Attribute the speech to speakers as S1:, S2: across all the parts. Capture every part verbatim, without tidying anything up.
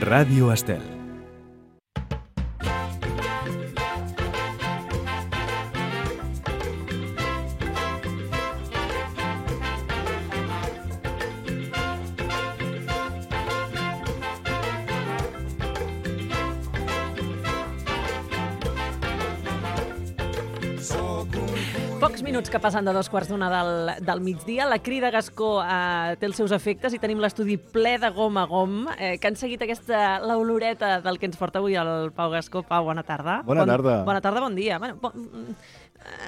S1: Ràdio Estel.
S2: Pocs minuts que passen de dos quarts d'una del, del migdia. La crida Gascó eh, té els seus efectes i tenim l'estudi ple de gom a gom, eh, que han seguit aquesta l'oloreta del que ens porta avui el Pau Gascó. Pau, bona tarda.
S3: Bona
S2: bon,
S3: tarda.
S2: Bona tarda, bon dia. Bueno, bon,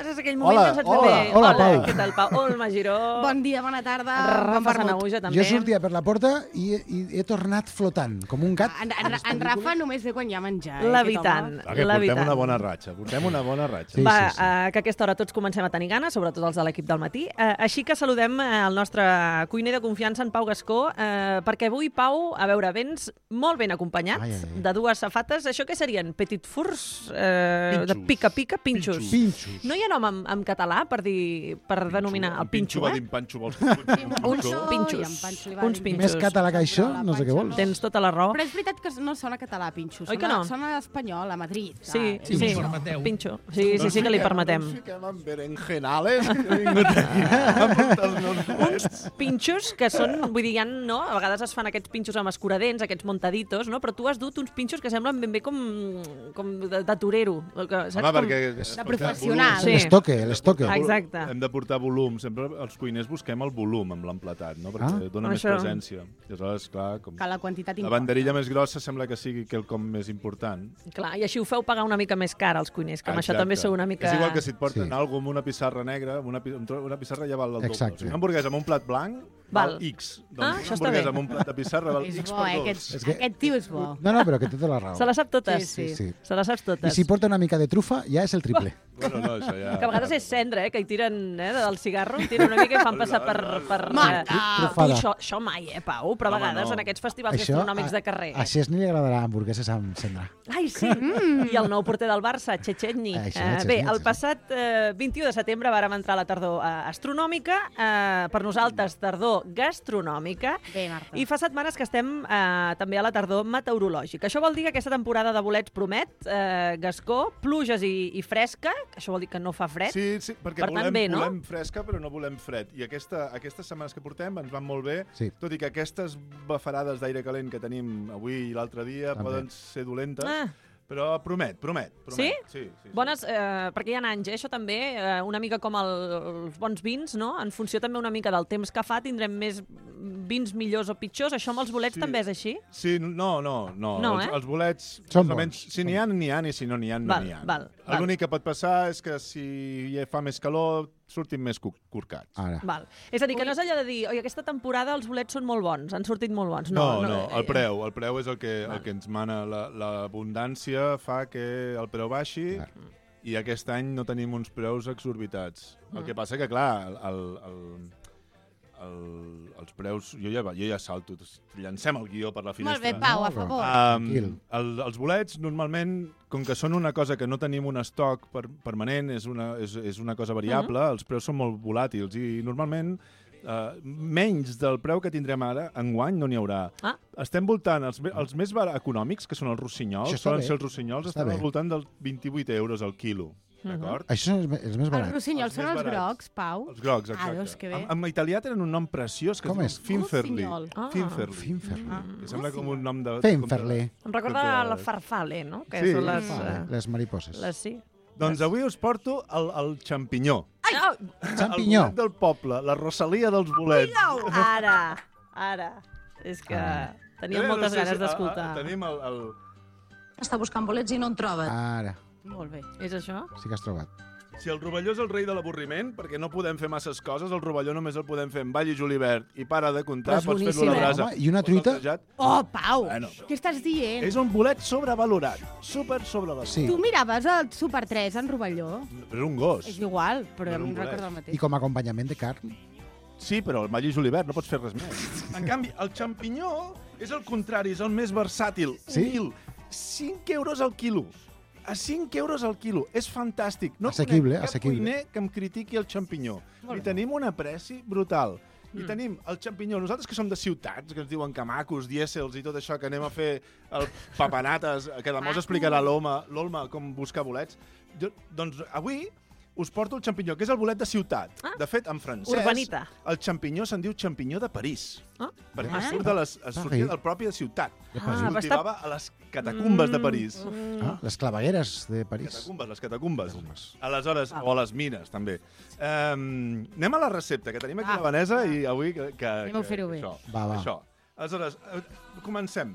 S2: és aquell moment
S3: hola,
S2: que saps
S3: hola,
S2: bé.
S3: hola,
S2: hola,
S3: Pau.
S2: Què tal, Pau? Olma Giró.
S4: Bon dia, bona tarda.
S2: Rafa
S4: bon vermut.
S2: Sanahuja, també.
S5: Jo sortia per la porta i, i he tornat flotant, com un gat.
S4: En, en, en Rafa només ve quan hi ha menjar.
S2: Levitant.
S3: Ah, que portem una bona ratxa, portem una bona ratxa.
S5: Sí,
S2: Va,
S5: sí, sí.
S2: eh, que a aquesta hora tots comencem a tenir ganes, sobretot els de l'equip del matí. Eh, així que saludem eh, el nostre cuiner de confiança, en Pau Gascó, eh, perquè avui, Pau, a veure, vens molt ben acompanyat
S5: Ai, ai, ai.
S2: de dues safates. Això què serien? Petit fours? Eh, de
S3: Pinxos.
S2: pica-pica? Pinxos.
S5: Pinxos.
S2: No hi ha nom en, en català per dir per denominar el pinxo,
S3: va
S2: eh?
S3: dir panxo, vols
S2: Uns
S4: Pinxo,
S2: pinxos.
S4: i en Panxo li va
S2: Uns
S4: dir
S2: pinxos.
S5: Més català que això, no sé què vols.
S2: Tens tota la raó.
S4: Però és veritat que no sona català, Pinxo.
S2: Oi que
S4: Sona,
S2: no?
S4: sona espanyol, a Madrid.
S2: Sí,
S4: Ah,
S2: sí,
S4: és
S2: sí.
S4: Pinxo.
S2: Pinxo. Sí, sí, sí que li permetem.
S3: Ens fiquem en berenjenales, que he vingut aquí a muntar els meus plets.
S2: Pinxos que són, vull dir, ja no, a vegades es fan aquests pinxos amb escuradents, aquests montaditos, no? Però tu has dut uns pinxos que semblen ben bé com, com de, de torero. Que, saps?
S3: Home, perquè...
S4: De professional.
S2: Sí.
S5: L'estoque, l'estoque.
S2: Ah, exacte.
S3: Hem de portar volum. Sempre els cuiners busquem el volum amb l'emplatat, no? Perquè
S5: Ah.
S3: dona més
S2: Això.
S3: presència. I aleshores, clar, com...
S4: Que la quantitat
S3: La
S4: importa.
S3: banderilla més grossa sembla que sigui quelcom més important.
S2: Clar, i així ho feu pagar una mica més car als cuiners, que amb això
S3: Exacte.
S2: també sou una mica...
S3: És igual que si et porten
S5: Sí.
S3: alguna amb una pissarra negra, amb una, pi- un tro- una pissarra ja val el doble.
S5: Exacte.
S3: O sigui, una hamburguesa amb un plat blanc val,
S2: Val.
S3: X.
S2: Ah,
S3: Doncs
S2: això
S3: una
S2: està
S3: hamburguesa
S2: bé.
S3: amb un plat de pissarra val
S4: És
S3: X
S4: bo,
S3: per
S4: eh?
S3: dos.
S4: Aquest,
S5: És que-
S4: aquest tio és bo.
S5: No, no, però que té tota la raó.
S2: Se les sap totes.
S4: Sí, sí.
S5: Sí.
S2: Se les saps
S5: I
S2: totes.
S5: si porta una mica de trufa, ja és el triple.
S3: Bueno, no, això ja...
S2: Que a vegades és cendra, eh? Que hi tiren eh, del cigarro, hi tiren una mica i fan passar per... per
S4: Marta!
S2: eh, tu,
S5: Trufada.
S2: això, això mai, eh, Pau? Però a
S3: Home,
S2: vegades
S3: no.
S2: en aquests festivals gastronòmics
S5: a-
S2: de carrer.
S5: A Xesni li agradarà hamburgueses amb cendra.
S2: Ai, sí. Mm. I el nou porter del Barça, Txetxetni.
S5: Això,
S2: Eh,
S5: Txetxetni,
S2: bé, el
S5: sí.
S2: passat eh, vint-i-u de setembre vàrem entrar a la tardor eh, astronòmica, eh, per nosaltres tardor gastronòmica,
S4: Bé, Marta.
S2: i fa setmanes que estem eh, també a la tardor meteorològica. Això vol dir que aquesta temporada de bolets promet, eh, Gascó, pluges i, i fresca, això vol dir que no fa fred.
S3: Sí, sí, perquè
S2: Per tant,
S3: volem,
S2: bé, no?
S3: volem fresca, però no volem fred. I aquesta, aquestes setmanes que portem ens van molt bé,
S5: Sí.
S3: tot i que aquestes bafarades d'aire calent que tenim avui i l'altre dia
S5: També.
S3: poden ser dolentes,
S2: Ah.
S3: però promet, promet. promet. Sí? Sí, sí,
S2: Bones, eh, perquè hi ha anys, eh, això també, eh, una mica com el, els bons vins, no? En funció també una mica del temps que fa, tindrem més vins millors o pitjors. Això amb els bolets
S3: Sí.
S2: també és així?
S3: Sí, no, no, no.
S2: No,
S3: els,
S2: eh?
S3: els bolets,
S5: Són
S3: més o menys,
S5: bons.
S3: si n'hi ha, n'hi ha, i si no n'hi ha, no
S2: Val,
S3: n'hi ha.
S2: val, val.
S3: L'únic que pot passar és que si hi fa més calor, surtin més cu- corcats.
S5: Ara.
S2: Val. És a dir, que no és allò de dir, oi, aquesta temporada els bolets són molt bons, han sortit molt bons.
S3: No,
S2: No,
S3: no,
S2: eh,
S3: el preu, el preu és el que, el que ens mana. La- L'abundància fa que el preu baixi
S5: Clar.
S3: i aquest any no tenim uns preus exorbitats. El
S2: Mm.
S3: que passa que, clar, el, el, el, el, els preus... Jo ja, jo ja salto, llancem el guió per la
S4: Molt
S3: finestra.
S4: bé, Pau, a
S5: No,
S4: favor.
S3: Um,
S5: Tranquil.
S3: el, els bolets, normalment, com que són una cosa que no tenim un estoc per, permanent, és una, és, és una cosa variable,
S2: Mhm.
S3: els preus són molt volàtils i normalment uh, menys del preu que tindrem ara, enguany no n'hi haurà.
S2: Ah.
S3: Estem voltant, els, me- els més bar- econòmics, que són els rossinyols,
S5: Això està
S3: solen
S5: bé.
S3: ser els rossinyols,
S5: Està
S3: estan
S5: bé.
S3: al voltant dels vint-i-vuit euros al quilo.
S2: Mhm.
S3: D'acord?
S5: Això són els, me- els més
S4: Els
S5: barats.
S4: rossinyols
S3: Els
S4: són
S3: més
S4: els
S3: barats.
S4: grocs, Pau.
S3: Els grocs, exacte.
S4: Ah, doncs que bé.
S3: En, en italià tenen un nom preciós que
S5: Com
S3: es
S5: és?
S3: diu Finferli.
S4: Rossinyol.
S2: Ah.
S3: Finferli.
S5: Finferli.
S4: Ah.
S3: Que sembla com un nom de...
S5: Finferli.
S2: Em recorda
S3: Contra-
S2: la farfalle, no? Que
S3: Sí.
S2: són les...
S5: Vale,
S2: eh,
S5: les mariposes.
S2: les sí.
S3: Doncs avui us porto el, el xampinyó.
S2: Ai! Oh,
S5: Xampinyó.
S3: El bolet del poble, la Rosalia dels bolets.
S2: ara, ara. És que
S5: Ah.
S2: teníem
S3: Eh,
S2: moltes
S3: no sé
S2: ganes
S3: si-
S2: d'escoltar.
S3: ah, ah, Tenim el... el...
S6: Està buscant bolets i no en troba.
S5: Ara,
S4: Molt bé.
S2: És això?
S5: sí que has trobat.
S3: Si el rovelló és el rei de l'avorriment, perquè no podem fer masses coses, el rovelló només el podem fer amb all i julivert i para de comptar,
S2: Però és
S3: pots fer-lo a
S2: boníssim,
S3: la
S2: eh?
S3: brasa.
S5: Home, i una
S3: o
S5: truita?
S3: saltejat.
S4: Oh, Pau,
S3: Bueno.
S4: què estàs dient?
S3: És un bolet sobrevalorat, super sobrevalorat.
S5: Sí.
S4: Tu miraves el Super tres en Rovelló?
S3: Però és un gos.
S4: És igual, però
S3: Era
S4: a mi
S3: un
S4: em
S3: bolet.
S4: recorda el
S5: I
S4: mateix.
S5: com a acompanyament de carn.
S3: Sí, però el all i julivert no pots fer res més. En canvi, el xampinyó és el contrari, és el més versàtil.
S5: Sí?
S3: Humil. cinc euros al quilo. A cinc euros al quilo. És fantàstic. No
S5: Assequible,
S3: conec cap
S5: assequible.
S3: cuiner que em critiqui el xampinyó.
S4: Molt
S3: Li
S4: bé.
S3: tenim un apreci brutal. I tenim el xampinyó, nosaltres que som de ciutats, que ens diuen que macos, dièsels i tot això, que anem a fer el papanates, que demà us explicarà l'Olma, l'Olma com buscar bolets. Jo, doncs avui us porto el xampinyó, que és el bolet de ciutat.
S2: Ah.
S3: De fet, en francès,
S2: Urbanita.
S3: el xampinyó se'n diu xampinyó de París.
S2: Ah.
S3: Perquè
S4: Ah.
S3: surt de les, es sortia del propi de ciutat.
S5: De
S2: Ah,
S5: París.
S2: va
S3: Cultivava a les catacumbes de París.
S5: Ah, les clavegueres de París.
S3: Catacumbes, les catacumbes. Aleshores, o a les mines, també. Um, anem a la recepta, que tenim aquí
S4: Ah.
S3: la Vanessa i avui que... que
S4: Anem a
S3: que-
S4: fer-ho bé.
S3: Això,
S5: Va, va.
S3: Això. Aleshores, eh, comencem.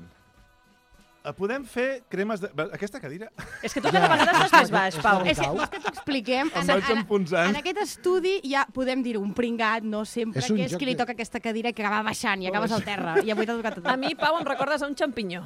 S3: Eh, Podem fer cremes de... Aquesta cadira
S2: És que tu cada vegada estàs més baix, Pau.
S4: És que, vols que t'ho expliquem?
S3: em
S4: En,
S3: vaig
S4: en,
S3: enfonsant.
S4: en aquest estudi ja podem dir un pringat, no sempre,
S5: És un
S4: que és
S5: joc
S4: qui li
S5: de-
S4: toca aquesta cadira i que acaba baixant i acabes al terra. I avui t'ha tocat a tu.
S2: A mi, Pau, em recordes a un xampinyó.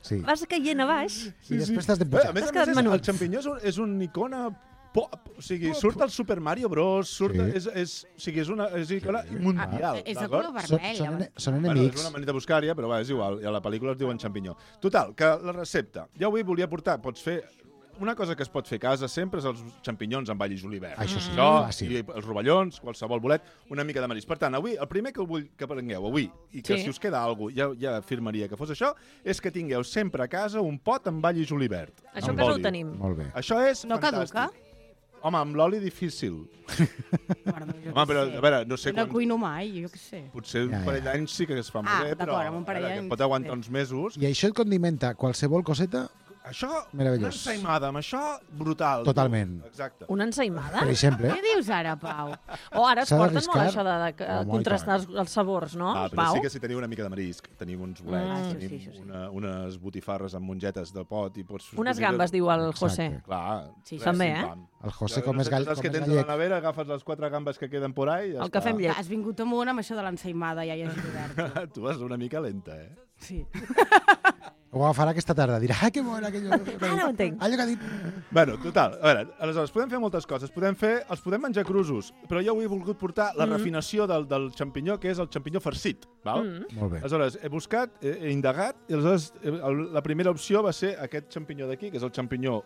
S5: Sí.
S2: Vas caient a baix.
S5: I després t'has de
S3: Bé,
S5: pujar.
S3: a més
S2: T'has
S3: a més,
S2: quedat
S3: és,
S2: menut.
S3: el xampinyó és, un, és una icona pop. O sigui, surt el Super Mario Bros. Surt,
S5: Sí.
S3: és, és, o sigui, és una és icona mundial.
S4: Ah, és de
S3: d'acord?
S4: color
S5: Són,
S4: vermell.
S5: són,
S4: llavors.
S5: ene- són
S3: Bueno,
S5: enemics.
S3: és una manera buscària, però va, és igual. I a la pel·lícula es diuen xampinyó. Total, que la recepta. Jo avui volia portar, pots fer... Una cosa que es pot fer a casa sempre és els xampinyons amb all i julivert.
S5: Això sí,
S3: Això,
S5: fàcil.
S3: i els rovellons, qualsevol bolet, una mica de marisc. Per tant, avui, el primer que vull que prengueu avui, i que
S2: Sí.
S3: si us queda alguna cosa, ja, ja afirmaria que fos això, és que tingueu sempre a casa un pot amb all i julivert.
S2: Això
S3: amb
S2: que no ho
S3: oli.
S2: tenim.
S5: Molt bé.
S3: Això és
S4: No
S3: fantàstic.
S4: caduca?
S3: Home, amb l'oli difícil.
S4: Perdó, jo
S3: Home,
S4: què
S3: però,
S4: sé.
S3: a veure, no sé
S4: No
S3: quan...
S4: cuino mai, jo què sé.
S3: Potser un
S5: Ja, ja.
S3: parell d'anys sí que es fa molt
S4: Ah,
S3: bé, però
S4: d'acord, amb un parell
S3: a veure, que
S4: d'anys,
S3: pot aguantar
S4: bé.
S3: uns mesos.
S5: I això et condimenta qualsevol coseta,
S3: Això,
S5: Meravellós.
S3: una ensaïmada, amb això, brutal.
S5: Totalment.
S3: Exacte.
S2: Una ensaïmada?
S5: per exemple.
S4: Què dius ara, Pau?
S2: O ara es
S5: S'ha
S2: porten molt
S5: d'arriscar.
S2: això de, de, de
S5: Home, i
S2: contrastar els, els sabors, no,
S3: Ah, però
S2: Pau?
S3: sí que si teniu una mica de marisc, tenim uns bolets,
S2: Ah,
S4: això
S3: tenim
S4: sí, això sí.
S3: una, unes botifarres amb mongetes de pot i pots...
S2: Unes gambes, diu el José.
S5: Exacte.
S3: Clar.
S4: Sí,
S3: res,
S2: també, eh?
S3: pim-pam.
S5: El José,
S3: Ja,
S5: com
S3: no
S5: és
S3: sé,
S5: gall,
S3: saps
S5: com
S3: que
S5: és
S3: tens a la
S5: gallec.
S3: nevera, agafes les quatre gambes que queden por ahí i ja
S2: El que fem llet.
S4: Has vingut amunt amb això de l'ensaïmada, ja hi has obert.
S3: Tu vas una mica lenta, eh?
S4: Sí.
S5: Ho agafarà aquesta tarda. Dirà, ah, que bona, aquello.
S2: Ara ho entenc.
S5: Allò que ha dit.
S3: Bueno, total, a veure, aleshores, podem fer moltes coses. Podem fer, els podem menjar crusos, però jo avui he volgut portar la refinació del, del xampinyó, que és el xampinyó farcit, val?
S2: Mm.
S5: Molt bé.
S3: Aleshores, he buscat, he, he indagat, i aleshores eh, el- la primera opció va ser aquest xampinyó d'aquí, que és el xampinyó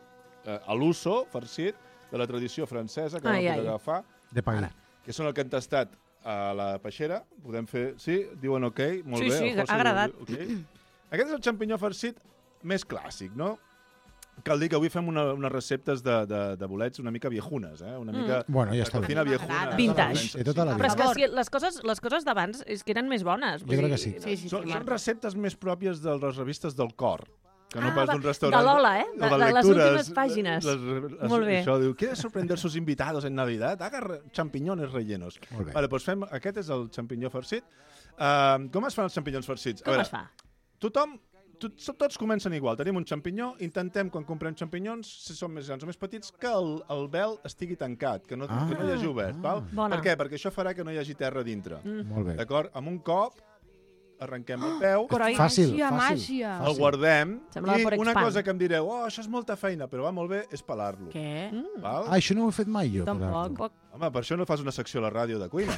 S3: eh, a l'uso, farcit, de la tradició francesa, que
S2: Ai,
S3: vam
S2: ai.
S3: poder agafar,
S5: De pagar.
S3: que són el que han tastat a la peixera. Podem fer... Sí? Diuen ok? Molt
S2: Sí,
S3: bé.
S2: sí,
S3: el José
S2: ha agradat.
S3: diu ok. Aquest és el xampinyó farcit més clàssic, no? Cal dir que avui fem una, unes receptes de, de, de bolets una mica viejunes, eh? Una mica...
S5: Bueno, ja
S3: de
S5: està bé.
S3: cocina viejuna.
S2: Vintage.
S5: De tota la
S2: Però és
S5: vida.
S2: que si les coses, les coses d'abans és que eren més bones.
S5: Jo crec que sí.
S4: Sí, sí, sí,
S3: Són, són
S4: Marta.
S3: receptes més pròpies de les revistes del cor, que no
S2: Ah,
S3: pas
S2: de-
S3: d'un restaurant.
S2: de Lola, eh?
S3: o
S2: De- de les
S3: lectures.
S2: últimes pàgines.
S3: Les, les,
S2: Molt bé.
S3: Això diu, ¿quiere sorprender sus invitados en Navidad? Haga re- champiñones rellenos.
S5: Molt bé.
S3: Vale, doncs fem, aquest és el xampinyó farcit. Uh, com es fan els xampinyons farcits?
S2: Com es fa?
S3: Tothom, tot, tots comencen igual. Tenim un xampinyó, intentem, quan comprem xampinyons, si són més grans o més petits, que el, el vel estigui tancat, que no,
S5: Ah.
S3: que no hi hagi obert. Val?
S2: Bona.
S3: Per què? Perquè això farà que no hi hagi terra dintre.
S2: Mm.
S5: Molt bé.
S3: D'acord? Amb un cop, arrenquem el peu,
S2: Coroi.
S5: Fàcil,
S4: Màgia,
S5: fàcil.
S4: màgia.
S3: el guardem,
S2: Semblava
S3: i
S2: per
S3: una
S2: expand.
S3: cosa que em direu, oh, això és molta feina, però va molt bé, és pelar-lo.
S4: Què?
S3: Val?
S5: Ah, això no ho he fet mai jo.
S4: Tampoc.
S5: pelar-lo.
S3: Home, per això no fas una secció a la ràdio de cuina.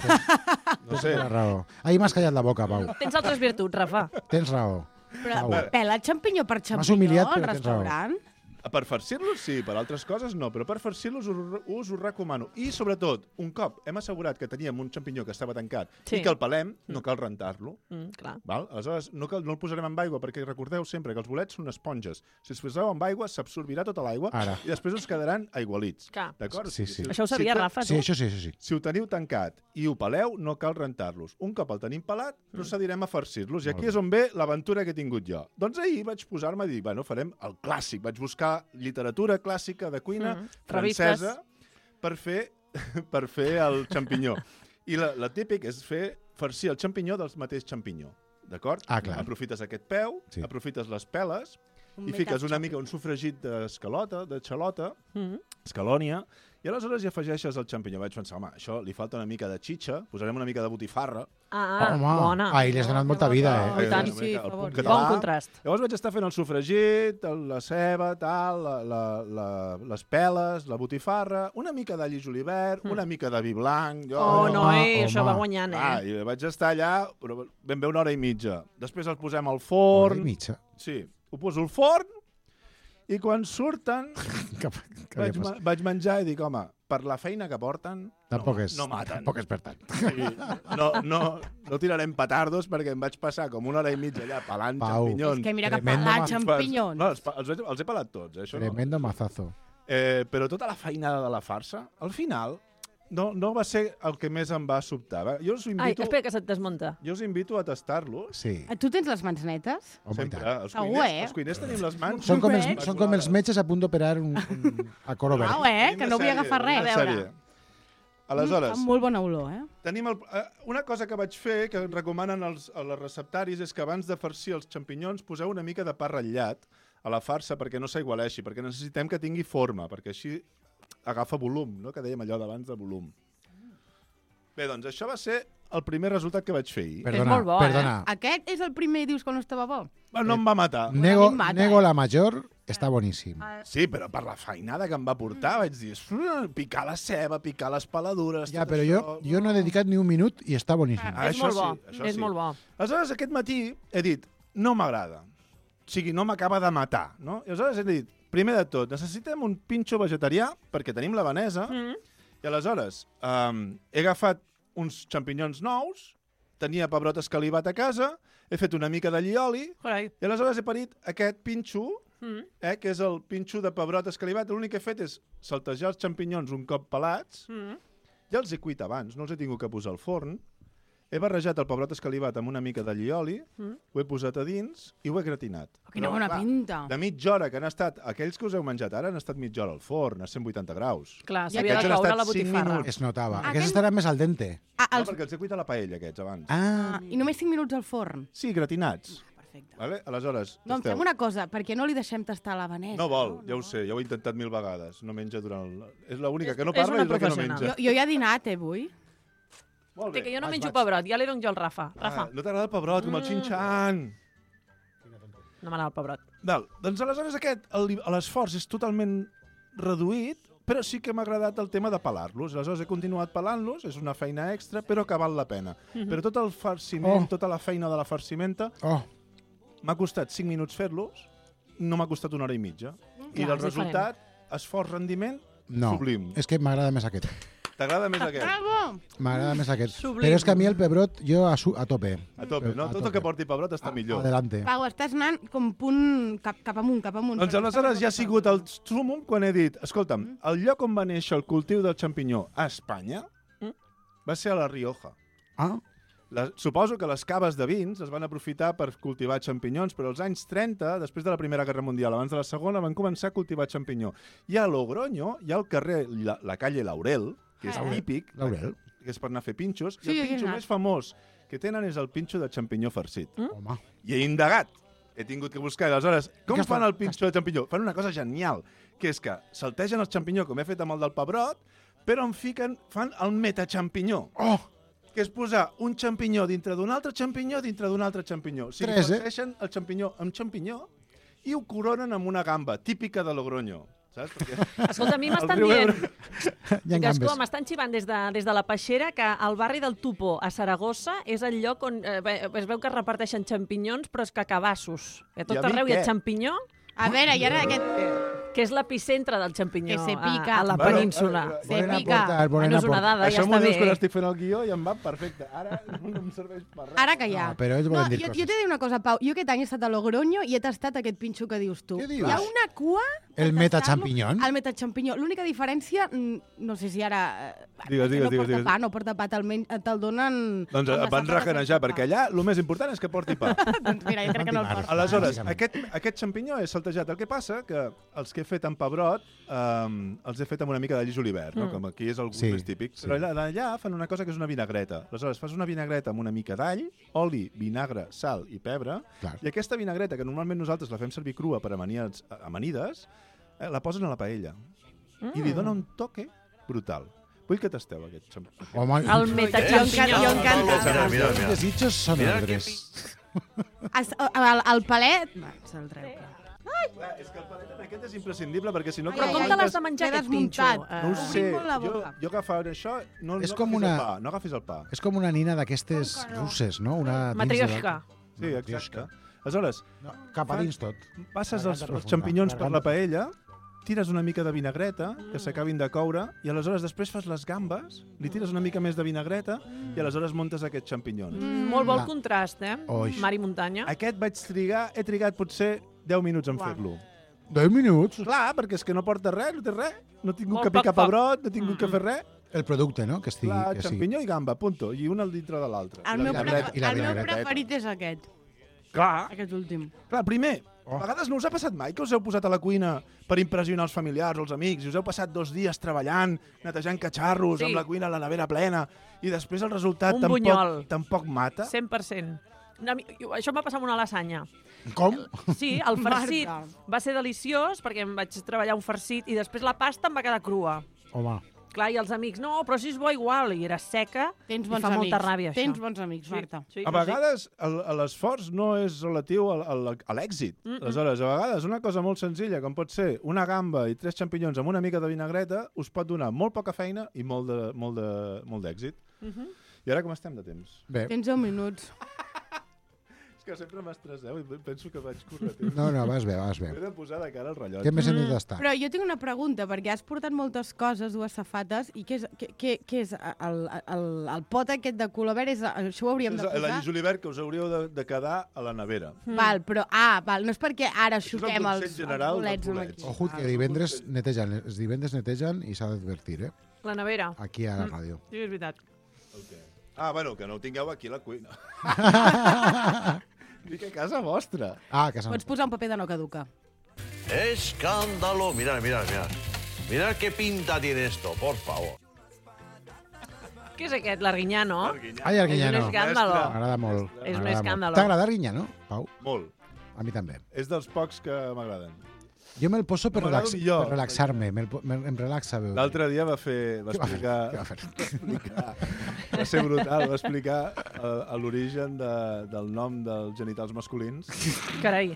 S3: No sé.
S5: Tens raó. Ahir m'has callat la boca, Pau.
S2: Tens altres virtuts, Rafa.
S5: Tens raó.
S4: Però
S5: Pau.
S4: pela xampinyó per
S5: M'has
S4: xampinyó
S5: humiliat,
S4: al
S5: però tens raó.
S4: restaurant?
S3: Per farcir-los, sí, per altres coses no, però per farcir-los us, us ho recomano. I, sobretot, un cop hem assegurat que teníem un xampinyó que estava tancat
S2: Sí.
S3: i que el pelem, no cal rentar-lo.
S2: Mm, clar.
S3: Val? Aleshores, no, cal, no el posarem amb aigua, perquè recordeu sempre que els bolets són esponges. Si es poseu amb aigua, s'absorbirà tota l'aigua
S5: Ara.
S3: i després us quedaran aigualits.
S2: Clar.
S3: D'acord?
S5: Sí, sí.
S2: Això ho sabia,
S3: si,
S2: Rafa,
S5: Sí,
S2: tu?
S5: això sí, això sí.
S3: Si ho teniu tancat i ho peleu, no cal rentar-los. Un cop el tenim pelat, procedirem a farcir-los. I aquí és on ve l'aventura que he tingut jo. Doncs ahir vaig posar-me a dir, bueno, farem el clàssic. Vaig buscar literatura clàssica de cuina
S2: Mm,
S3: francesa per fer, per fer el xampinyó. I la, la típic és fer farcir el xampinyó del mateix xampinyó. D'acord?
S5: Ah, clar.
S3: Aprofites aquest peu,
S5: Sí.
S3: aprofites les peles
S4: Un
S3: i
S4: meitat
S3: fiques una
S4: xampinyó.
S3: mica un sofregit d'escalota, de xalota,
S2: Mm.
S3: escalònia, i aleshores hi afegeixes el xampinyó. Vaig pensar, home, això li falta una mica de xitxa, posarem una mica de botifarra.
S2: Ah,
S5: Home,
S2: bona.
S5: ahir li has donat molta vida,
S2: Oh,
S5: eh?
S2: i tant.
S3: una
S4: Sí,
S3: mica
S4: per
S3: el
S4: favor.
S3: punt català.
S2: Bon contrast.
S3: Llavors vaig estar fent el sofregit, el- la ceba, tal, la, la, la, les peles, la botifarra, una mica d'all i julivert, una mica de vi blanc. Jo,
S2: Oh,
S5: Home,
S2: no, eh,
S5: home.
S2: això va guanyant,
S3: Ah,
S2: eh?
S3: i vaig estar allà però ben bé una hora i mitja. Després el posem al
S5: Hora i
S3: forn.
S5: mitja.
S3: Sí, ho poso al forn i quan surten
S5: Cap, que
S3: vaig,
S5: havia
S3: ma
S5: passat?
S3: vaig menjar i dic, home, per la feina que porten,
S5: Tampoc
S3: no,
S5: és,
S3: no maten.
S5: tampoc és per tant.
S3: Sí, no, no, no tirarem petardos perquè em vaig passar com una hora i mitja allà pelant
S5: Pau.
S3: xampinyons.
S4: És que mira que
S5: Tremendo
S4: pelar
S5: ma-
S4: xampinyons.
S3: No, els, pa- els, els he pelat tots, eh, això no.
S5: Tremendo mazazo.
S3: Eh, però tota la feinada de la farsa, al final, no, no va ser el que més em va sobtar. Va? Jo us
S2: Ai,
S3: invito,
S2: espera que se't desmunta.
S3: jo us invito a tastar-los.
S5: Sí,
S4: Tu tens les mans netes?
S5: home, i
S3: Sempre.
S5: tant.
S3: Els
S4: Segur,
S3: cuiners,
S4: eh?
S3: els cuiners tenim les mans...
S5: Són com, els,
S4: Super.
S5: són com els metges a punt d'operar un, un, a coro verd.
S4: Uau, eh?
S3: Tenim
S4: Que
S3: una
S4: no vull
S3: sèrie,
S4: agafar
S3: una
S4: res.
S2: A veure.
S3: sèrie. Aleshores,
S4: Mm, fa molt bona olor, eh?
S3: tenim el, eh, una cosa que vaig fer, que recomanen els, a les receptaris, és que abans de farcir els xampinyons poseu una mica de pa ratllat a la farsa perquè no s'aigualeixi, perquè necessitem que tingui forma, perquè així agafa volum, no? Que dèiem allò d'abans de volum. Bé, doncs això va ser el primer resultat que vaig fer ahir.
S5: Perdona,
S2: molt bo, eh?
S5: perdona.
S4: Aquest és el primer i dius que no estava bo?
S3: Bueno, no em va matar.
S5: Nego,
S4: a mi em mata,
S5: nego
S4: eh?
S5: la major, està boníssim.
S3: Sí, però per la feinada que em va portar vaig dir, "Mm, picar la ceba, picar les peladures...
S5: Ja,
S3: tot
S5: però
S3: això".
S5: jo, jo no he dedicat ni un minut i està boníssim.
S3: Ah,
S2: és
S3: això
S2: molt bo,
S3: sí, això
S2: és
S3: sí.
S2: molt bo.
S3: Aleshores, aquest matí he dit, no m'agrada. O sigui, no m'acaba de matar, no? I aleshores he dit, primer de tot, necessitem un pinxo vegetarià, perquè tenim la vanesa,
S2: Mm.
S3: i aleshores um, he agafat uns xampinyons nous, tenia pebrot escalivat a casa, he fet una mica d'allioli,
S2: Carai.
S3: i aleshores he parit aquest pinxo,
S2: Mm.
S3: eh, que és el pinxo de pebrot escalivat. L'únic que he fet és saltejar els xampinyons un cop pelats,
S2: Mm.
S3: ja els he cuit abans, no els he tingut que posar al forn. He barrejat el pebrot escalivat amb una mica d'allioli,
S2: Mm.
S3: ho he posat a dins i ho he gratinat.
S4: Quina
S3: Però,
S4: bona
S3: clar,
S4: pinta.
S3: De mitja hora que han estat, aquells que us heu menjat ara han estat mitja hora al forn, a cent vuitanta graus.
S2: Clar,
S4: Ja
S2: s'havia
S3: aquests
S2: de
S3: han
S2: coure
S3: estat
S2: la
S3: cinc
S2: botifarra.
S3: minuts.
S5: Es notava.
S4: Ah,
S5: Aquests
S4: aquell-
S5: estaran més al dente.
S4: Ah,
S3: No,
S4: els...
S3: perquè els he cuit a la paella, aquests, abans.
S5: Ah,
S4: ah, I només cinc minuts al forn.
S3: Sí, gratinats.
S4: Perfecte.
S3: Vale? Aleshores,
S4: Doncs
S3: tasteu.
S4: fem una cosa, perquè no li deixem tastar la vanesa?
S3: No vol, ja ho sé, ja ho he intentat mil vegades. No menja durant... El... És l'única
S2: És-
S3: que no
S2: és
S3: parla
S2: una
S3: i és la que no
S2: professional.
S3: menja.
S4: Jo, jo ja he dinat, eh, avui.
S3: Molt
S2: Té
S3: bé.
S2: que jo no
S5: Vaig,
S2: menjo
S5: vaig.
S2: pebrot, ja li dono jo al Rafa. Rafa,
S3: Ah, no t'agrada el pebrot, com el
S2: Mm.
S3: xinxan.
S2: no m'agrada el pebrot.
S3: Val, doncs aleshores aquest, el- l'esforç és totalment reduït, però sí que m'ha agradat el tema de pelar-los. Aleshores he continuat pelant-los, és una feina extra, però que val la pena.
S2: Mhm.
S3: Però tot el farciment,
S5: Oh.
S3: tota la feina de la farcimenta,
S5: oh,
S3: m'ha costat cinc minuts fer-los, no m'ha costat una hora i mitja. I
S2: Clar,
S3: del
S2: és
S3: resultat, esforç, rendiment,
S5: no.
S3: sublim.
S5: És que m'agrada més aquest.
S3: T'agrada més aquest?
S4: Bravo!
S5: M'agrada més aquest.
S2: Sublim.
S5: Però és que a mi el pebrot, jo a, su a tope.
S3: A tope, no?
S5: A
S3: Tot el
S5: tope.
S3: que porti pebrot està millor.
S5: Adelante.
S4: Pau, estàs anant com punt cap, cap amunt, cap amunt.
S3: Doncs aleshores ja ha sigut el súmum quan he dit, escolta'm, el lloc on va néixer el cultiu del xampinyó a Espanya
S2: Mm.
S3: va ser a la Rioja.
S5: Ah,
S3: La, suposo que les caves de vins es van aprofitar per cultivar xampinyons, però als anys trenta, després de la Primera Guerra Mundial, abans de la Segona, van començar a cultivar xampinyó. I a Logroño hi ha el carrer, la, la calle Laurel, que és
S2: Ah.
S3: típic,
S5: Laurel.
S3: que és per anar a fer pinxos,
S4: Sí,
S3: i el
S4: aquí he
S3: pinxo
S4: anat.
S3: més famós que tenen és el pinxo de xampinyó farcit.
S5: Home.
S3: I he indagat. He tingut que buscar. I aleshores, com
S5: Què
S3: fan
S5: fa?
S3: el pinxo de xampinyó? Fan una cosa genial, que és que saltegen el xampinyó, com he fet amb el del pebrot, però en fiquen, fan el metaxampinyó,
S5: Oh,
S3: que és posar un xampinyó dintre d'un altre xampinyó dintre d'un altre xampinyó. O sigui,
S5: Tres, eh?
S3: farceixen el xampinyó amb xampinyó i ho coronen amb una gamba, típica de Logroño. Saps? Perquè
S2: Escolta, a mi
S3: el
S2: m'estan
S3: riu
S2: dient...
S3: Ebre-
S5: hi ha
S2: Gascó,
S5: gambes.
S2: m'estan xivant des de, des de la Peixera que el barri del Tupó, a Saragossa, és el lloc on eh, bé, es veu que es reparteixen xampinyons, però és que cabassos. A tot
S3: I a mi
S2: arreu hi ha
S3: què?
S2: xampinyó,
S4: A veure, i ara aquest...
S2: que és l'epicentre del xampinyó
S4: Que se pica.
S2: a, a la
S3: Bueno,
S2: península.
S3: eh,
S4: Se
S5: Volen
S4: pica.
S5: aportar, volen
S2: Bueno, és una
S5: aportar.
S2: dada, ja
S3: Això m'ho
S2: està
S3: dius quan
S2: bé.
S3: estic fent el guió i em va perfecte. Ara no em serveix per res.
S4: Ara que ja.
S5: No, però ells
S4: no,
S5: volen dir
S4: jo,
S5: coses.
S4: jo t'he de dir una cosa, Pau. Jo aquest any he estat a Logroño i he tastat aquest pinxo que dius tu.
S5: Què dius?
S4: Hi ha una cua... per
S5: El
S4: tastar-lo.
S5: metaxampinyón?
S4: El metaxampinyó. L'única diferència, mm, no sé si ara... eh,
S3: Digues,
S4: que
S3: digues,
S4: no
S3: digues,
S4: porta
S3: digues.
S4: pa, no porta pa, te'l, men- te'l donen...
S3: Doncs
S4: amb
S3: et
S4: les
S3: van
S4: safates
S3: recanejar,
S4: sense pa.
S3: perquè allà el més important és que porti pa.
S4: Doncs mira, jo crec que no el porta.
S3: Aleshores,
S5: Bàsicament.
S3: aquest, aquest xampinyó és saltejat. El que passa que els que he fet amb pebrot um, els he fet amb una mica de llis julivert, no?
S2: Mm.
S3: Com aquí és el gust
S5: Sí,
S3: més típic.
S5: sí.
S3: Però allà, allà fan una cosa que és una vinagreta. Aleshores, fas una vinagreta amb una mica d'all, oli, vinagre, sal i pebre,
S5: Clar.
S3: i aquesta vinagreta, que normalment nosaltres la fem servir crua per amanides, amanides eh, la posen a la paella.
S2: Mm.
S3: I li dona un toque brutal. Vull que tasteu aquest xampinyó.
S5: Home,
S2: El
S4: Jo
S2: metaxampinyó.
S4: encan- jo encanta.
S1: Mira, mira,
S5: els
S1: mira.
S5: desitjos són
S1: Mira
S5: altres.
S4: Es- El, el palet... Va, se'l treu.
S3: Clar, és que el palet aquest és imprescindible, perquè si no...
S4: Ai,
S2: Però
S4: ai,
S2: com
S4: ai,
S2: te l'has de
S4: t'he
S2: menjar, aquest pinxo?
S4: desmuntat.
S2: Eh,
S3: No ho sé,
S4: Obrim molt la
S3: jo,
S4: boca.
S3: jo agafava això, no,
S5: És
S3: no
S5: com
S3: agafis
S5: una-
S3: el pa, no agafis el pa.
S5: És com una nina d'aquestes russes, no? Una dins de
S2: Matrioshka.
S3: Sí, exacte. Aleshores,
S5: No, cap a dins tot.
S3: passes els,
S5: Garganta
S3: els
S5: profunda,
S3: xampinyons per la
S5: garganta.
S3: paella tires una mica de vinagreta, que s'acabin de coure, i aleshores després fas les gambes, li tires una mica més de vinagreta, i aleshores montes aquests xampinyons.
S2: Mm, molt bon
S5: Ah.
S2: contrast, eh?
S5: Oix.
S2: Mar i muntanya.
S3: Aquest vaig trigar, he trigat potser deu minuts en fer-lo.
S5: deu minuts.
S3: Clar, perquè és que no porta res, no té res. No he tingut
S2: Molt
S3: que
S2: poc
S3: picar
S2: foc.
S3: pebrot, no he tingut que fer res.
S5: El producte, no? Que estigui...
S3: Clar,
S5: que sigui.
S3: xampinyó i gamba, punto. I un al dintre de l'altre.
S4: El
S3: I la
S4: meu,
S3: vinagreta.
S4: prefer...
S5: I la
S4: el meu
S5: vinagreta.
S4: preferit és aquest,
S3: Clar,
S4: aquest últim.
S3: clar, primer,
S5: Oh.
S3: a vegades no us ha passat mai que us heu posat a la cuina per impressionar els familiars o els amics i us heu passat dos dies treballant, netejant catxarros,
S2: Sí.
S3: amb la cuina, la nevera plena, i després el resultat
S2: Un
S3: tampoc,
S2: bunyol.
S3: tampoc mata?
S2: cent per cent. No, mi- això m'ha passat amb una lasanya.
S5: Com?
S2: Sí, el farcit
S4: Marta.
S2: va ser deliciós perquè em vaig treballar un farcit i després la pasta em va quedar crua.
S5: Home.
S2: Clar, i els amics, no, però si és bo igual, i era seca,
S4: Tens
S2: i
S4: bons
S2: fa
S4: amics.
S2: molta ràbia, això.
S4: Tens bons amics, Marta.
S2: Sí, sí,
S3: A vegades el- l'esforç no és relatiu al- al- a l'èxit.
S2: Mm, mm.
S3: Aleshores, a vegades una cosa molt senzilla, com pot ser una gamba i tres xampinyons amb una mica de vinagreta, us pot donar molt poca feina i molt de- molt de- molt d'èxit.
S2: Mhm.
S3: I ara com estem de temps?
S5: Bé.
S4: Tens deu minuts.
S3: És que sempre m'estresseu i penso que vaig córrer temps.
S5: No, no, vas bé, vas bé.
S3: He de posar de cara al rellotge.
S5: Què més hem
S2: Mm.
S5: d'estar?
S4: Però jo tinc una pregunta, perquè has portat moltes coses, dues safates, i què és, què, què, què és el, el, el pot aquest de color verd? És, això ho hauríem de
S3: És
S4: posar?
S3: la julivert que us hauríeu de, de quedar a la nevera.
S4: Val, però, ah, val, no és perquè ara
S3: Això és el
S4: xuquem
S3: consell
S4: els, els
S3: general
S4: bolets
S3: dels
S4: amb
S3: bolets.
S4: aquí.
S5: Ojo, que divendres netegen, els divendres netegen i s'ha d'advertir, eh?
S2: La nevera.
S5: Aquí a la ràdio.
S2: Sí, és veritat.
S3: Ah, bueno, que no ho tingueu aquí a la cuina. Dic a casa vostra.
S5: Ah, que s'ha...
S4: Pots posar un paper de no caduca.
S1: ¡Escándalo! Mirad, mirad, mirad. Mirad qué pinta tiene esto, por favor.
S2: Què és aquest, l'Arguinyano?
S5: Ai, el
S2: És un
S5: Guinyano.
S2: escàndalo.
S5: M'agrada molt.
S2: És un
S5: m'agrada molt.
S2: escàndalo.
S5: T'agrada el Guinyano, Pau?
S3: Molt.
S5: A mi també.
S3: És dels pocs que m'agraden.
S5: Jo me'l poso per,
S3: M'agrada
S5: relax,
S3: millor.
S5: per relaxar-me, me'l po- me, em relaxa veure.
S3: L'altre dia va fer... Va
S5: Què va fer?
S3: explicar...
S5: Què va fer?
S3: explicar va ser brutal, va explicar uh, l'origen de, del nom dels genitals masculins.
S2: Carai.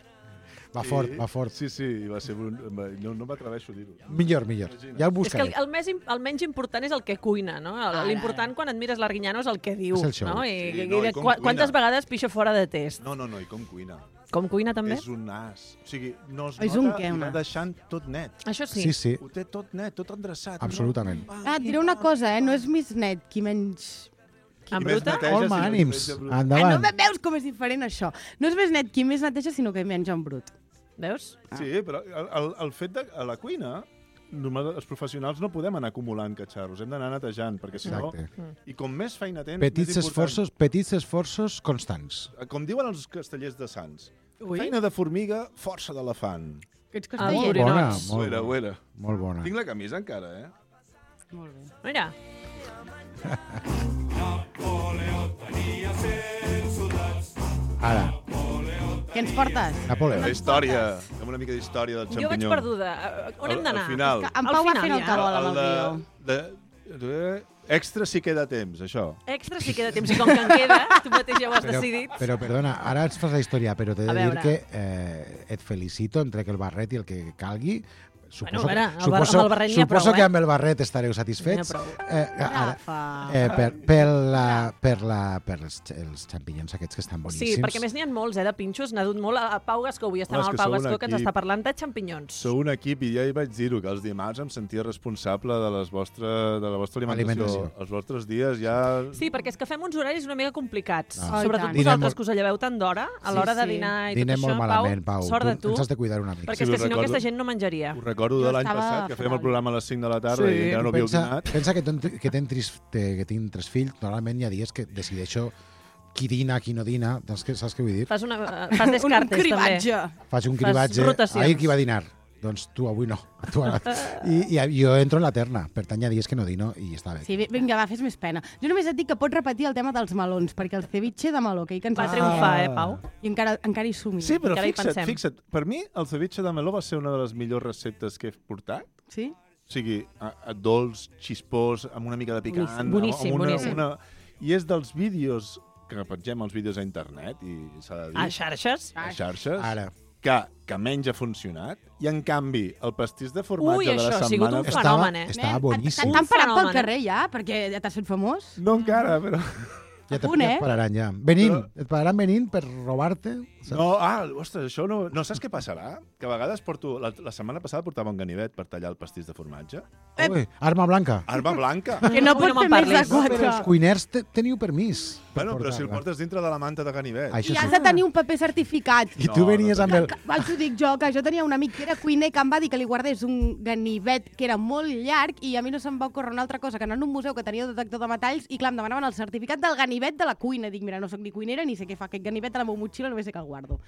S5: Va fort,
S3: I-
S5: va fort.
S3: Sí, sí, i va ser... brun- No, no m'atreveixo a dir-ho.
S5: Millor, millor. Ja el
S2: És que
S5: buscaré.
S2: el, el, més, im- el menys important és el que cuina, no? El-
S4: Ara.
S2: L'important quan et mires l'Arguinyano és el que diu.
S5: És el show.
S2: No? I,
S3: Sí,
S2: i,
S3: no, i
S2: i
S3: com
S2: qua-
S3: cuina.
S2: quantes vegades pixa fora de test?
S3: No, no, no, i com cuina.
S2: Com cuina també?
S3: És un as. O sigui, no es
S4: És
S3: nota
S4: un què,
S3: i
S4: un
S3: va
S4: as?
S3: deixant tot net.
S2: Això sí.
S5: Sí, sí,
S3: Ho té tot net, tot endreçat.
S5: absolutament.
S4: Ah, et diré una cosa, eh? No és Miss Net qui menys...
S2: En
S3: Qui més
S2: bruta?
S3: neteja,
S5: Home,
S3: si no
S5: ànims.
S3: neteja brut.
S4: Ah, no
S5: Endavant.
S4: me veus com és diferent, això. No és Miss Net qui més neteja, sinó que menja en brut.
S2: Veus?
S3: Sí, però el, el, el fet de... A la cuina, normal, els professionals no podem anar acumulant catxarros, hem d'anar netejant, perquè si no...
S5: Exacte.
S3: I com més feina tens,
S5: Petits
S3: més important.
S5: esforços, petits esforços constants.
S3: Com diuen els castellers de Sants,
S4: Ui,
S3: feina de formiga, força d'elefant.
S4: que ets
S2: Ah,
S4: casteller.
S2: molt
S5: Bona,
S2: Orinots.
S3: Ho
S5: molt
S3: era, ho
S5: bona.
S3: era.
S5: Molt bona.
S3: Tinc la camisa encara, eh?
S4: Molt bé.
S2: Mira.
S5: Ara,
S4: Què ens portes?
S5: Napoleó.
S3: La història, amb una mica d'història del
S2: Jo vaig
S3: xampinyó.
S2: perduda. Eh, On hem
S3: Al-
S2: d'anar?
S3: Al final.
S4: Que en
S2: Al
S4: Pau va
S2: final,
S4: fent el
S2: ja.
S4: que vol amb el
S3: El
S4: guió.
S3: de, de, extra si queda temps, això.
S2: Extra sí queda temps. I com que en queda, tu mateix ja ho has
S5: Però,
S2: decidit.
S5: però, perdona, ara ens fas la història, però t'he
S2: A
S5: de dir
S2: veure.
S5: que eh, et felicito, em trec el barret i el que calgui. Suposo,
S2: Bueno, a veure, el bar-
S5: suposo,
S2: amb el barret n'hi ha
S5: suposo
S2: prou,
S5: que
S2: eh?
S5: amb el barret estareu satisfets.
S2: N'hi ha
S5: Eh, ara,
S4: Rafa.
S5: eh, per, per, la, per, la, per els, els xampinyons aquests que estan boníssims.
S2: Sí, perquè a més n'hi ha molts, eh, de pinxos. N'ha dut molt a Pau Gascó. Avui estem
S3: Home, és
S2: amb el
S3: que
S2: Pau
S3: sou un
S2: Gascó, que ens
S3: equip.
S2: està parlant de xampinyons.
S3: Sou un equip i ja hi vaig dir-ho, que els dimarts em sentia responsable de, les vostres, de la vostra alimentació.
S5: Alimentació.
S3: Els vostres dies ja...
S2: Sí, perquè és que fem uns horaris una mica complicats.
S5: Ah.
S2: Sobretot
S4: Oh, i tant.
S5: Dinem
S2: vosaltres,
S5: molt-
S2: que us lleveu tant d'hora a l'hora
S4: Sí,
S2: de
S4: sí.
S2: dinar i
S5: Dinem
S2: tot
S5: molt
S2: això.
S5: malament, Pau.
S2: Sort de tu.
S5: Ens has de cuidar una mica.
S2: Perquè
S3: Sí,
S2: és que
S3: us
S2: si no
S3: recordo-
S2: aquesta gent no menjaria.
S3: Ho recordo
S4: Jo
S3: de l'any
S4: estava
S3: passat, que fèiem el
S4: fatal.
S3: programa a les cinc de la tarda
S2: Sí.
S3: i encara no havíeu
S5: pensa,
S3: dinat.
S5: pensa que, ten, que, ten tris, que tinc tres fills, normalment hi ha dies que decideixo qui dina, qui no dina. Saps què, saps què vull dir?
S2: Fas, una, fas
S4: Un
S2: descartes, també.
S4: cribatge.
S5: Faig un
S2: Fas
S5: cribatge.
S2: rotacions.
S5: Ahir qui va dinar? Doncs tu avui no. Tu ara. I, I jo entro en la terna. Per tant, hi ha dies que no dino i està bé.
S4: Sí, vi- vinga, va, fes més pena. Jo només et dic que pots repetir el tema dels melons, perquè el ceviche de meló, que ahir que ens
S2: Va
S4: va
S2: triomfar, eh, Pau?
S4: I encara, encara hi som.
S3: Sí, però
S2: Encara hi
S3: fixa't,
S2: pensem.
S3: fixa't, per mi el ceviche de meló va ser una de les millors receptes que he portat.
S4: Sí?
S3: O sigui, a, a dolç, xispós, amb una mica de picant. amb-
S2: Boníssim,
S3: amb una,
S2: boníssim.
S3: Una... I és dels vídeos que pengem els vídeos a internet, i s'ha de dir,
S2: A xarxes?
S3: a xarxes,
S5: Ara.
S3: que, que menys ha funcionat, i en canvi el pastís de formatge
S2: Ui,
S3: de la
S2: això ha sigut
S3: setmana...
S2: un
S5: Estava,
S2: fenomen, eh?
S5: estava
S4: Nen,
S5: boníssim.
S4: T'han parat pel
S2: fenomen, eh?
S4: carrer ja, perquè ja t'has fet famós?
S3: No encara, però...
S5: Ja, te,
S4: punt,
S5: ja
S4: eh?
S5: et pararan, ja. Venint,
S3: Però-
S5: et pararan venint per robar-te. saps?
S3: No, ah, ostres, això no... No saps què passarà? Que a vegades porto... La, la setmana passada portava un ganivet per tallar el pastís de formatge.
S5: Ui, arma blanca.
S3: Arma blanca.
S4: Que no
S2: Ui,
S4: pot
S2: no
S4: fer
S2: me'n
S4: més de
S2: parlis.
S5: No, però
S4: quatre.
S5: els cuiners te, teniu permís. per
S3: Bueno, però si el
S5: portar-la.
S3: portes dintre de la manta de ganivet.
S5: Això
S4: I has
S5: sí.
S4: de tenir un paper certificat.
S5: I tu
S3: No,
S5: venies
S3: no
S5: amb el...
S4: Vaig ho dic jo, que jo tenia un amic que era cuiner que em va dir que li guardés un ganivet que era molt llarg i a mi no se'm va ocórrer una altra cosa que anar a un museu que tenia detector de metalls i clar, em demanaven el certificat del ganivet de la cuina. Dic, mira, no sóc ni cuinera ni sé què fa aquest ganivet a la meva motxilla, només sé que el guardo.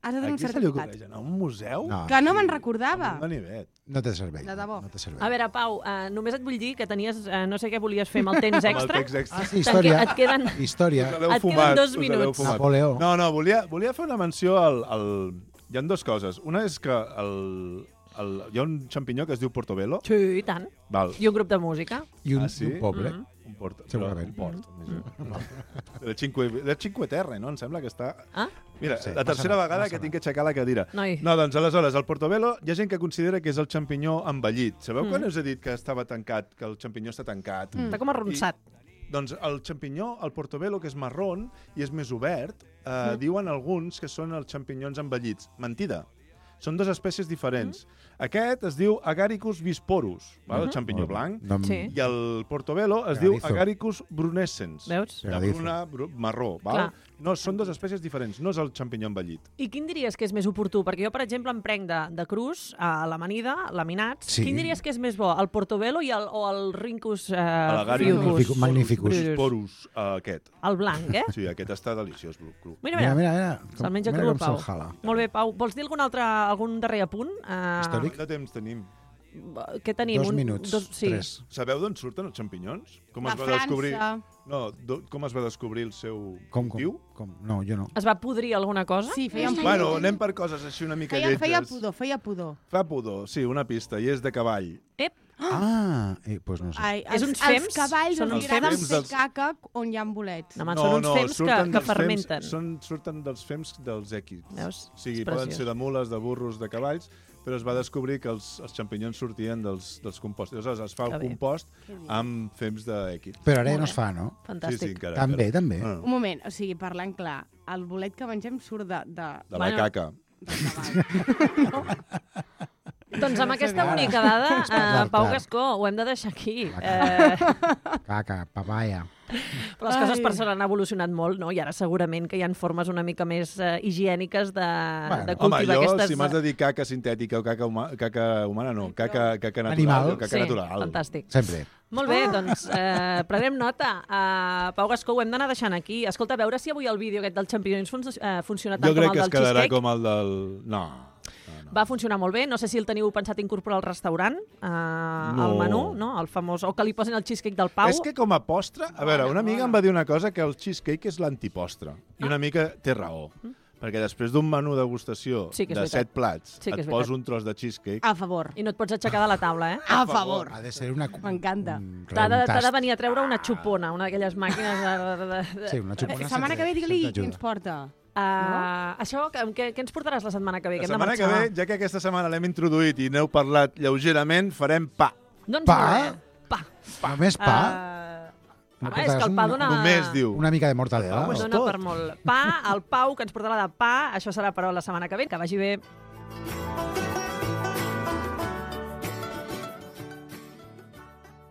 S4: Has de
S3: A
S4: tenir un
S3: qui se li
S4: certificat.
S3: ocorreix anar a un museu?
S5: No,
S4: Que no me'n
S3: Amb
S4: recordava.
S3: un ganivet.
S5: no té servei.
S4: De debò.
S5: No té servei.
S2: A veure, Pau, uh, només et vull dir que tenies, uh, no sé què volies fer amb el temps
S3: Amb el
S2: extra.
S3: text extra.
S5: Ah, sí, història.
S2: Et queden-
S5: Història.
S3: Us l'heu
S2: Et queden
S3: fumat,
S2: dos
S3: us l'heu
S2: minuts.
S3: fumat.
S5: Napoleó.
S3: No, no, volia, volia fer una menció al... al... Hi ha dues coses. Una és que el, el... hi ha un xampinyó que es diu Portobello.
S2: Sí, i tant.
S3: Val.
S2: I un grup de música.
S5: I un,
S3: Ah, sí?
S5: i un poble.
S2: Mm.
S3: Un porto.
S5: Segurament.
S3: Però Un port. Mm. De Cinque, de Cinque Terre, no? Em sembla que està...
S2: Ah?
S3: Mira,
S5: Sí,
S3: la tercera
S5: passa
S3: vegada
S5: passa
S3: que tinc que aixecar la cadira.
S2: Noi.
S3: No, doncs aleshores, el Portobello, hi ha gent que considera que és el xampinyó envellit. Sabeu
S2: Mm.
S3: quan us he dit que estava tancat, que el xampinyó està tancat?
S2: Mm. Està com arronsat.
S3: Doncs el xampinyó, el Portobello, que és marrón i és més obert, eh, mm. diuen alguns que són els xampinyons envellits. Mentida. Són dues espècies diferents. Mm. Aquest es diu Agaricus bisporus, val? el xampinyó blanc,
S5: No, em-
S2: Sí.
S3: i el Portobello es
S5: Pegadizo.
S3: diu Agaricus brunescens.
S2: Veus?
S3: De
S5: Pegadizo.
S3: bruna, bru marró, val?
S2: Clar.
S3: No, són dues espècies diferents, no és el xampinyó envellit.
S2: I quin diries que és més oportú? Perquè jo, per exemple, em prenc de, de crus a l'amanida, laminats.
S5: Sí.
S2: Quin diries que és més bo, el Portobello i el, o el Rincus uh,
S3: L'agaricus
S5: Magnificus. Magnificus.
S3: bisporus, uh, aquest.
S2: El blanc, eh?
S3: Sí, aquest està deliciós, bru- cru.
S2: Mira,
S5: Mira,
S2: mira,
S5: mira, mira.
S2: se'l menja
S5: mira
S2: cru,
S5: com
S2: Pau.
S5: se'l jala.
S2: Molt bé, Pau. Vols dir algun altre, algun darrer apunt? Uh,
S5: Històric?
S3: De temps tenim.
S2: Què tenim?
S5: Dos
S2: Un-
S5: minuts,
S2: dos, sí.
S5: tres.
S3: Sabeu d'on surten els xampinyons? Com
S4: De
S3: es va descobrir?
S4: França.
S3: No, do, com es va descobrir el seu
S5: Com, com,
S3: cultiu?
S5: com? No, jo no.
S2: Es va podrir alguna cosa?
S4: Sí, feien pudor.
S3: Bueno, anem per coses així una mica
S4: Feia,
S3: lletges.
S4: feia pudor, feia pudor.
S2: Ah.
S3: Fa pudor, sí, una pista, i és de cavall.
S2: Ep,
S5: Ah, eh, pues no sé.
S4: Ai,
S2: És
S4: els,
S2: uns fems?
S4: Els cavalls
S2: Són
S4: els
S2: uns
S4: agraden
S3: fems
S4: fer
S3: dels-
S4: caca on hi ha bolets.
S2: no, man, són uns fems que,
S3: surten
S2: que
S3: dels
S2: fermenten.
S3: Fems, són, surten dels fems dels èquids.
S2: Veus?
S3: O sigui,
S2: És
S3: poden
S2: preciós.
S3: ser de mules, de burros, de cavalls, però es va descobrir que els, els xampinyons sortien dels, dels composts. Aleshores, es fa
S2: Que
S3: el
S2: bé.
S3: compost amb fems d'èquids.
S5: Però ara ja
S2: Molt
S5: no
S2: bé.
S5: es fa, no?
S2: Fantàstic.
S3: Sí, sí, encara.
S5: També,
S3: encara.
S5: també.
S3: Ah,
S4: Un moment, o sigui, parlant clar, el bolet que mengem surt de... de...
S3: de la
S2: Bueno.
S3: caca.
S2: Doncs amb aquesta bonica dada, uh,
S5: parlar
S2: Pau
S5: clar.
S2: Gascó, ho hem de deixar aquí.
S5: La
S2: Eh,
S5: Caca, papaya.
S2: però les coses
S4: Ai.
S2: per sort han evolucionat molt, no? I ara segurament que hi ha formes una mica més uh, higièniques de,
S5: Bueno,
S2: de
S3: Home,
S2: cultivar
S3: jo,
S2: aquestes...
S3: si m'has de dir caca sintètica o caca, huma, caca humana, no, caca, caca natural.
S5: Animal.
S3: o Caca
S2: sí,
S3: natural.
S2: fantàstic.
S5: Sempre.
S2: Molt bé, doncs eh, prenem nota. Uh, Pau Gascó, ho hem d'anar deixant aquí. Escolta, a veure si avui el vídeo aquest del Champions fun uh, funciona tant
S3: Jo
S2: com
S3: crec
S2: el
S3: que es
S2: del
S3: quedarà
S2: cheesecake.
S3: com el del... No. no, no.
S2: Va funcionar molt bé. No sé si el teniu pensat incorporar al restaurant, uh,
S3: No.
S2: al menú, no? El famós... O que li posin el cheesecake del Pau.
S3: És que com a postre... A veure, una amiga em va dir una cosa, que el cheesecake és l'antipostre. I una mica té raó. Perquè després d'un menú degustació
S2: Sí que és
S3: de
S2: veritat.
S3: set plats,
S2: Sí que és
S3: et poso
S2: veritat.
S3: un tros de cheesecake...
S4: A favor.
S2: I no et pots aixecar de la taula, eh?
S4: A favor.
S5: Ha de ser una...
S4: M'encanta.
S5: un
S2: T'ha de, t'ha de
S5: reuntat.
S2: venir a treure una xupona, una d'aquelles màquines de... de, de, de...
S5: Sí, una xupona.
S4: La setmana que ve, digue-li
S5: sempre
S4: qui
S5: ajuda.
S4: ens porta.
S2: Uh, Això, què, què, què ens portaràs la setmana que ve?
S3: La
S2: Que hem de
S3: setmana que
S2: marxar.
S3: ve, ja que aquesta setmana l'hem introduït i n'heu parlat lleugerament, farem pa.
S2: Doncs
S5: Pa?
S2: molt bé. Pa.
S5: Només pa?
S2: Uh,
S5: No
S2: home, és que el
S5: portaràs
S2: pa
S5: un-
S2: dona...
S3: Només diu.
S5: Una mica de mortadela?
S3: Pau és
S5: o-
S2: Dona
S3: tot.
S2: per molt. Pa, el Pau, que ens portarà de pa. Això serà, però, la setmana que ve. Que vagi bé.